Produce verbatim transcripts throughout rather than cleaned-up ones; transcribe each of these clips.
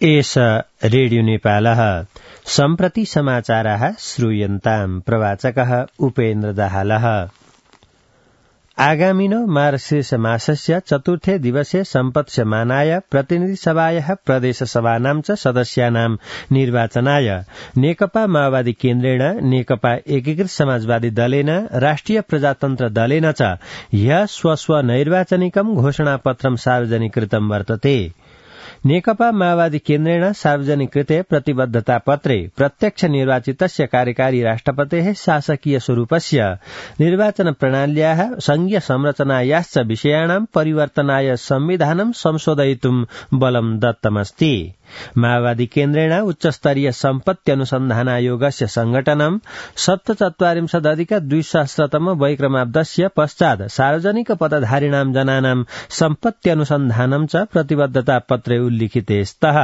एष रेडियो नेपालः सम्प्रति समाचाराः श्रूयन्ताम् प्रवाचकः उपेन्द्र दाहालः। आगामिनो मार्गशीर्ष मासस्य चतुर्थे दिवसे सम्पत्स्यमानाय प्रतिनिधिसभायाः प्रदेशसभानां च सदस्यानां निर्वाचनाय नेकपा माओवादी केन्द्रेण नेकपा एकीकृत समाजवादी दलेन राष्ट्रिय प्रजातन्त्र दलेन च ह्यः स्वस्व नैर्वाचनिकं घोषणापत्रं सार्वजनिकृतं वर्तते। नेकपा माओवादी केन्द्रेण सार्वजनिकृते प्रतिबद्धतापत्रे प्रत्यक्ष निर्वाचितस्य कार्यकारी राष्ट्रपतेः शासकीय स्वरूपस्य निर्वाचन प्रणाल्याः संघीय संरचनायाश्च विषयाणां परिवर्तनाय संविधानं संशोधयितुं बलं दत्तमस्ति। माओवादी केन्द्रेण उच्चस्तरीय सम्पत्त्यनुसन्धानायोगस्य संघटनं सप्तचत्वारिंशदधिक द्विसहस्रतम वैक्रमाब्दस्य पश्चात् सार्वजनिक पदधारिणां जनानां सम्पत्त्यनुसन्धानं च प्रतिबद्धतापत्रे उल्लिखिते स्तः।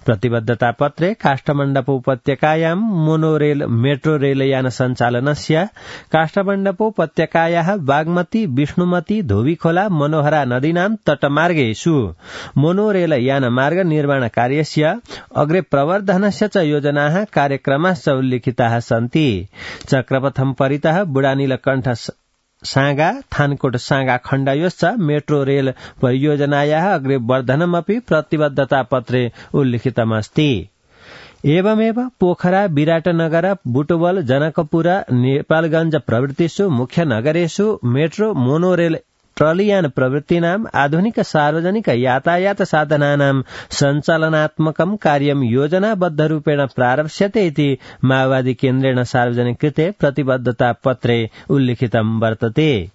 प्रतिबद्धतापत्रे काष्ठमण्डप उपत्यकायां मोनोरेल मेट्रो रेलयान सञ्चालनस्य, काष्ठमण्डप उपत्यकायाः बागमती, विष्णुमती, धोबीखोला, मनोहरा नदीनां तटमार्गेषु मोनोरेलयान मार्ग निर्माण कार्यस्य अग्रे प्रवर्धनस्य च योजनाः कार्यक्रमाश्च उल्लिखिताः सन्ति। चक्रपथं परितः बुढानीलकण्ठ सागा थानकोट सागा खण्डयोश्च मेट्रो रेल परियोजनायाः अग्रे वर्धनमपि प्रतिबद्धतापत्रे उल्लिखितमस्ति। एवमेव पोखरा, विराटनगर, बुटवल, जनकपुर, नेपालगंज प्रभृतिषु मुख्य नगरेषु मेट्रो, मोनोरेल, ट्रलियान प्रवृत्तीनाम् आधुनिक सार्वजनिक यातायात साधनानां सञ्चालनात्मकं कार्यं योजनाबद्धरूपेण प्रारप्स्यते इति माओवादी केन्द्रेण सार्वजनिकृते प्रतिबद्धतापत्रे उल्लिखितं वर्तते।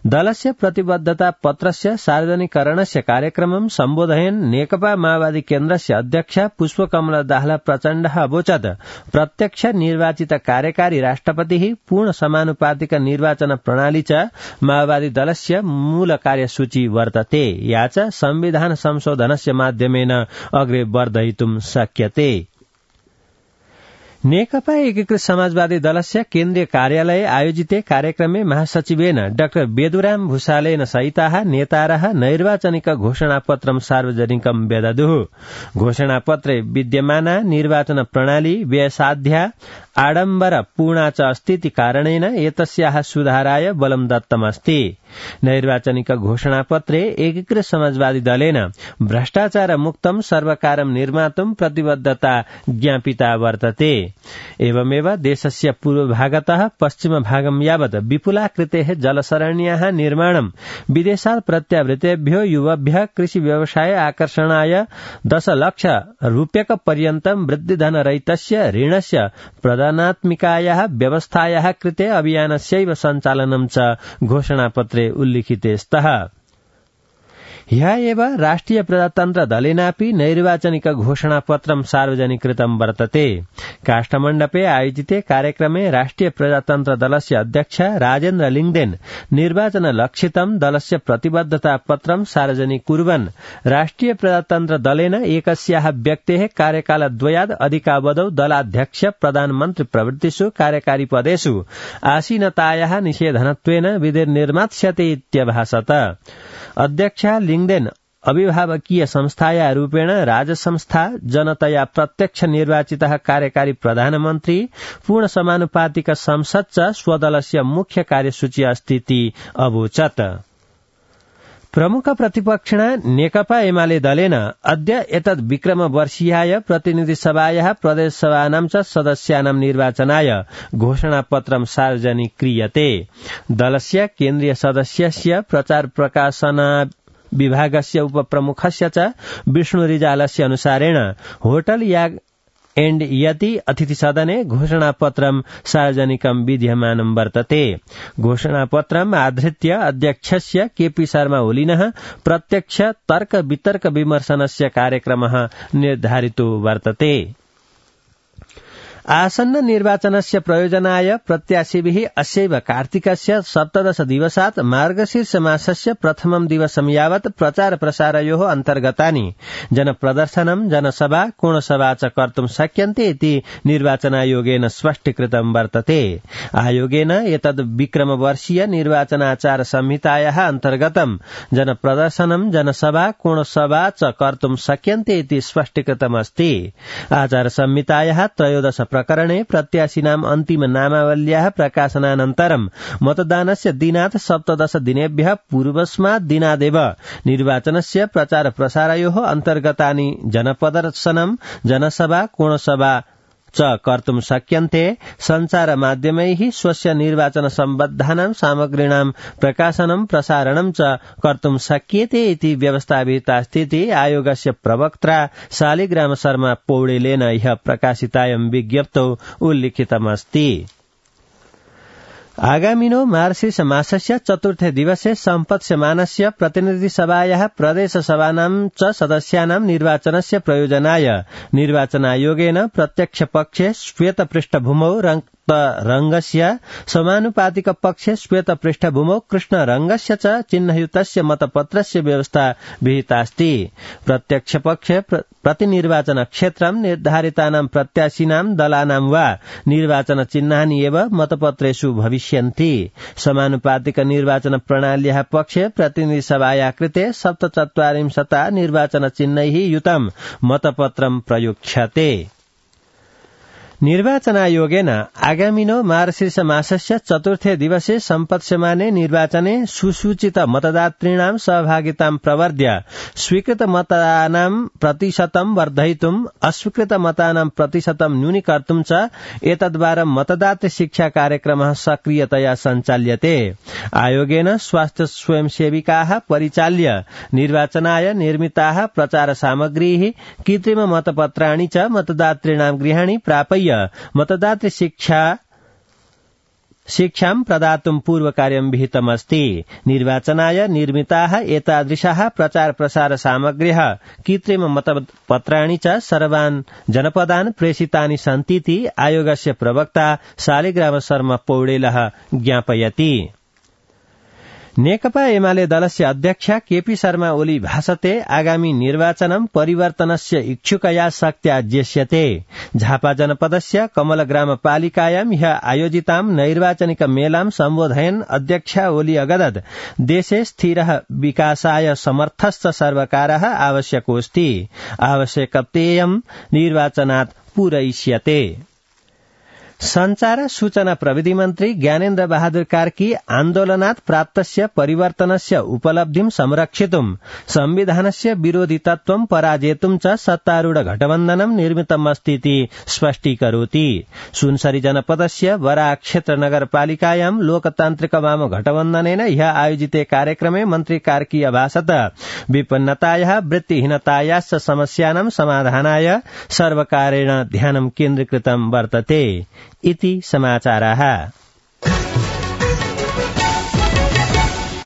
दलस्य प्रतिबद्धतापत्रस्य सार्वजनिकरणस्य कार्यक्रमं सम्बोधयन् नेकपा माओवादी केन्द्रस्य अध्यक्ष पुष्पकमल दाहाल प्रचण्डः अवोचत् प्रत्यक्ष निर्वाचित कार्यकारी राष्ट्रपतिः पूर्ण समानुपातिक निर्वाचन प्रणाली च माओवादी दलस्य मूल कार्यसूची वर्तते, या च संविधान संशोधनस्य माध्यमेन अग्रे वर्धयितुं शक्यते। नेकपा एकीकृत समाजवादी दलस्य केन्द्रीय कार्यालये आयोजिते कार्यक्रमे महासचिवेन डाक्टर बेदुराम भूषालेन सहिताः नेतारः नैर्वाचनिक घोषणापत्रं सार्वजनिकं व्यदधुः। घोषणापत्रे विद्यमाना निर्वाचन प्रणाली व्ययसाध्या आडम्बर पूर्णा च अस्तीति कारणेन एतस्याः सुधाराय बलं दत्तमस्ति। नैर्वाचनिक घोषणापत्रे एकीकृत समाजवादी दलेन भ्रष्टाचार मुक्तं सर्वकारं निर्मातुं प्रतिबद्धता ज्ञापिता वर्तते। एवमेव देशस्य पूर्वभागतः पश्चिमभागं यावत् विपुलाकृतेः जलसरण्याः निर्माणं विदेशात् प्रत्यावृतेभ्यो युवभ्यः कृषि व्यवसाय आकर्षणाय दशलक्ष रूप्यकपर्यन्तं वृद्धिधनरहितस्य ऋणस्य प्रदानात्मिकायाः व्यवस्थायाः कृते अभियानस्यैव सञ्चालनं च घोषणापत्रे उल्लिखिते स्तः। ह्यः एव राष्ट्रिय प्रजातन्त्र दलेनापि नैर्वाचनिक घोषणापत्रं सार्वजनिकृतं वर्तते। काष्ठमण्डपे आयोजिते कार्यक्रमे राष्ट्रिय प्रजातन्त्र दलस्य अध्यक्ष राजेन्द्र लिङ्गदेन निर्वाचन लक्षितं दलस्य प्रतिबद्धतापत्रं सार्वजनिकुर्वन् राष्ट्रिय प्रजातन्त्र दलेन एकस्याः व्यक्तेः कार्यकालद्वयात् अधिकावधौ दलाध्यक्ष, प्रधानमन्त्री प्रभृतिषु कार्यकारी पदेषु आसीनतायाः निषेधनत्वेन विधिर्निर्मास्यते इत्यभाषत। अध्यक्ष लिङ्गदेन अभिभावकीय संस्थाया रूपेण राजसंस्था जनतया प्रत्यक्ष निर्वाचितः कार्यकारी प्रधानमन्त्री पूर्ण समानुपातिक संसद च स्वदलस्य मुख्य कार्यसूची अस्तीति अवोचत्। प्रमुख प्रतिपक्षिणा नेकपा एमाले दलेन अद्य एतद् विक्रमवर्षीयाय प्रतिनिधिसभायाः प्रदेशसभानां च सदस्यानां निर्वाचनाय घोषणापत्रं सार्वजनिक्रियते। दलस्य केन्द्रीय सदस्यस्य प्रचार प्रकाशना विभागस्य उपप्रमुखस्य च विष्णु रिजालस्य अनुसारेण होटल याग एण्ड यति अतिथि सदने घोषणापत्रं सार्वजनिकं विद्यमानं वर्तते। घोषणापत्रम् आधृत्य अध्यक्षस्य केपी शर्मा ओलिनः प्रत्यक्ष तर्क वितर्क विमर्शनस्य कार्यक्रमः निर्धारितो वर्तते। आसन्न निर्वाचनस्य प्रयोजनाय प्रत्याशिभिः अस्यैव कार्तिकस्य सप्तदश दिवसात् मार्गशीर्ष मासस्य प्रथमं दिवसं यावत् प्रचार प्रसारयोः अन्तर्गतानि जनप्रदर्शनं जनसभा कोणसभा च कर्तुं शक्यन्ते इति निर्वाचनायोगेन स्पष्टीकृतं वर्तते। आयोगेन एतद् विक्रमवर्षीय निर्वाचनाचार संहितायाः अन्तर्गतं जनप्रदर्शनं जनसभा कोणसभा च कर्तुं शक्यन्ते इति स्पष्टीकृतमस्ति। आचार संहितायाः त्रयोदश प्रकरणे प्रत्याशिनाम् अन्तिम नामावल्याः प्रकाशनानन्तरं मतदानस्य दिनात् सप्तदश दिनेभ्यः पूर्वस्मात् दिनादेव निर्वाचनस्य प्रचार प्रसारयोः अन्तर्गतानि जनप्रदर्शनं जनसभा कोणसभा च कर्तुं शक्यन्ते। सञ्चार माध्यमैः स्वस्य निर्वाचन सम्बद्धानां सामग्रीणां प्रकाशनं प्रसारणं च कर्तुं शक्यते इति व्यवस्था विहितास्ति इति आयोगस्य प्रवक्त्रा शालिग्राम शर्मा पौडेलेन ह्यः प्रकाशितायां विज्ञप्तौ उल्लिखितमस्ति। आगामिनो मार्गशीर्ष मासस्य चतुर्थे दिवसे सम्पत्स्यमानस्य प्रतिनिधिसभायाः प्रदेशसभानां च सदस्यानां निर्वाचनस्य प्रयोजनाय निर्वाचनायोगेन प्रत्यक्ष पक्षे श्वेत पृष्ठभूमौ रङ्गस्य समानुपातिक पक्षे श्वेत पृष्ठभूमौ कृष्ण रङ्गस्य च चिह्नयुतस्य मतपत्रस्य व्यवस्था विहितास्ति। प्रत्यक्ष पक्षे प्रतिनिर्वाचन क्षेत्रं निर्धारितानां प्रत्याशिनां दलानां वा निर्वाचन चिह्नानि एव मतपत्रेषु भविष्यन्ति। समानुपातिक निर्वाचन प्रणाल्याः पक्षे प्रतिनिधिसभायाः कृते सप्तचत्वारिंशता निर्वाचन चिह्नैः युतं मतपत्रं प्रयुज्यते। निर्वाचनायोगेन आगामिनो मार्गशीर्ष मासस्य चतुर्थे दिवसे सम्पत्स्यमाने निर्वाचने सुसूचित मतदातॄणां सहभागितां प्रवर्ध्य स्वीकृत मतानां प्रतिशतं वर्धयितुं अस्वीकृत मतानां प्रतिशतं न्यूनीकर्तुं च एतद्वारं मतदातृ शिक्षा कार्यक्रमः सक्रियतया सञ्चाल्यते। आयोगेन स्वास्थ्य स्वयंसेविकाः परिचाल्य निर्वाचनाय निर्मिताः प्रचार सामग्रीः कृत्रिम मतपत्राणि च मतदातॄणां गृहाणि प्रापय्य मतदातृ शिक्षा शिक्षां प्रदातुं पूर्वकार्यं विहितमस्ति। निर्वाचनाय निर्मिताः एतादृशाः प्रचार प्रसार सामग्र्यः कृत्रिम मतपत्राणि च सर्वान् जनपदान् प्रेषितानि सन्तीति आयोगस्य प्रवक्ता शालिग्राम शर्मा पौडेलः ज्ञापयति। नेकपा एमाले दलस्य अध्यक्ष केपी शर्मा ओली भाषते आगामी निर्वाचनं परिवर्तनस्य इच्छुकया शक्त्या जेष्यते। झापा जनपदस्य कमल ग्रामपालिकायां ह्यः आयोजितां नैर्वाचनिक मेलां सम्बोधयन् अध्यक्ष ओली अगदत् देशे स्थिरः विकासाय समर्थश्च सर्वकारः आवश्यकोऽस्ति। आवश्यकतेयं निर्वाचनात् पूरयिष्यते। संचार सूचना प्रविधि मन्त्री ज्ञानेन्द्र बहादुर कार्की आन्दोलनात् प्राप्तस्य परिवर्तनस्य उपलब्धिं संरक्षितुं संविधानस्य विरोधितत्वं पराजेतुं च सत्तारूढ गठबन्धनं निर्मितमस्ति इति स्पष्टीकरोति। सुनसरी जनपदस्य बराक क्षेत्र नगरपालिकायां लोकतान्त्रिक वाम गठबन्धनेन ह्यः आयोजिते कार्यक्रमे मन्त्री कार्की अभाषत विपन्नतायाः वृत्तिहीनतायाश्च समस्यानां समाधानाय सर्वकारेण ध्यानं केन्द्रीकृतं वर्तते इति समाचाराः।